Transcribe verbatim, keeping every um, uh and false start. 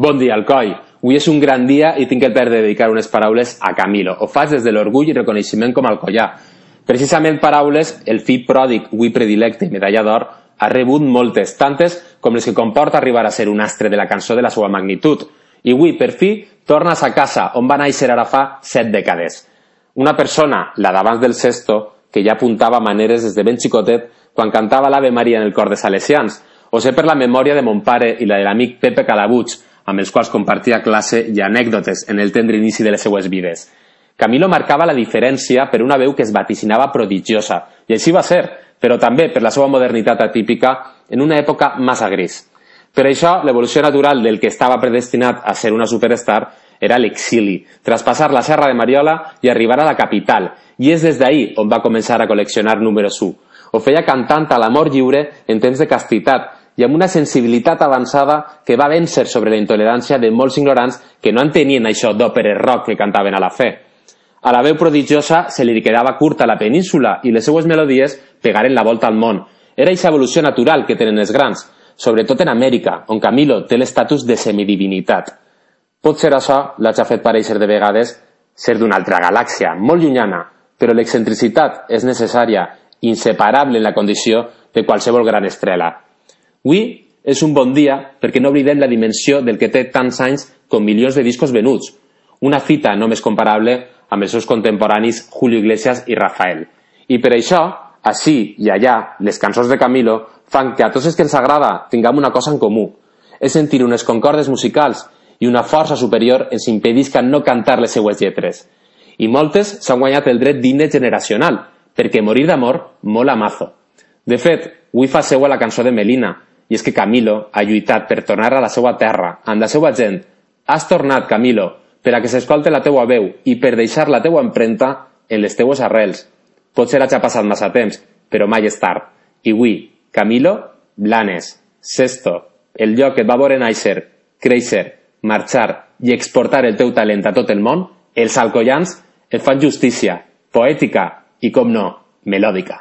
Bon dia, Alcoi. Avui és un gran dia i tinc el plaer de dedicar unes paraules a Camilo. Ho faig des de l'orgull i reconeixement com a alcoià. Precisament paraules, el fill pròdig, avui predilecte i medalla d'or, ha rebut moltes, tantes com les que comporta arribar a ser un astre de la cançó de la seva magnitud. I avui, per fi, tornes a casa, on va néixer ara fa set dècades. Una persona, la d'abans del Sesto, que ja apuntava maneres des de ben xicotet quan cantava l'Ave Maria en el cor de Salesians, o sé per la memòria de mon pare i la de l'amic Pepe Calabuig, amb els quals compartia classe i anècdotes en el tendre inici de les seues vides. Camilo marcava la diferència per una veu que es vaticinava prodigiosa, i així va ser, però també per la seva modernitat atípica en una època massa gris. Per això, l'evolució natural del que estava predestinat a ser una superstar era l'exili, traspassar la Serra de Mariola i arribar a la capital, i és des d'ahir on va començar a col·leccionar números u. Ho feia cantant a l'amor lliure en temps de castitat, i amb una sensibilitat avançada que va vèncer sobre la intolerància de molts ignorants que no entenien això d'òperes rock que cantaven a la fe. A la veu prodigiosa se li quedava curta la península i les seues melodies pegaren la volta al món. Era aquesta evolució natural que tenen els grans, sobretot en Amèrica, on Camilo té l'estatus de semidivinitat. Potser això l'ha fet parèixer de vegades ser d'una altra galàxia, molt llunyana, però l'excentricitat és necessària, inseparable en la condició de qualsevol gran estrela. Avui és un bon dia perquè no oblidem la dimensió del que té tants anys com milions de discos venuts, una fita només comparable amb els seus contemporanis Julio Iglesias i Rafael. I per això, així i allà, les cançons de Camilo fan que a tots els que ens agrada tinguem una cosa en comú, és sentir unes concordes musicals i una força superior ens impedisca no cantar les seues lletres. I moltes s'han guanyat el dret d'himne generacional, perquè morir d'amor mola mazo. De fet, avui fa seua la cançó de Melina, i és que Camilo ha lluitat per tornar a la seva terra, amb la seva gent. Has tornat, Camilo, per a que s'escolte la teua veu i per deixar la teua empremta en les teues arrels. Potser hagi passat massa temps, però mai és tard. I avui, Camilo, Blanes, Sesto, el lloc que et va veure néixer, créixer, marxar i exportar el teu talent a tot el món, els alcoians et fan justícia, poètica i, com no, melòdica.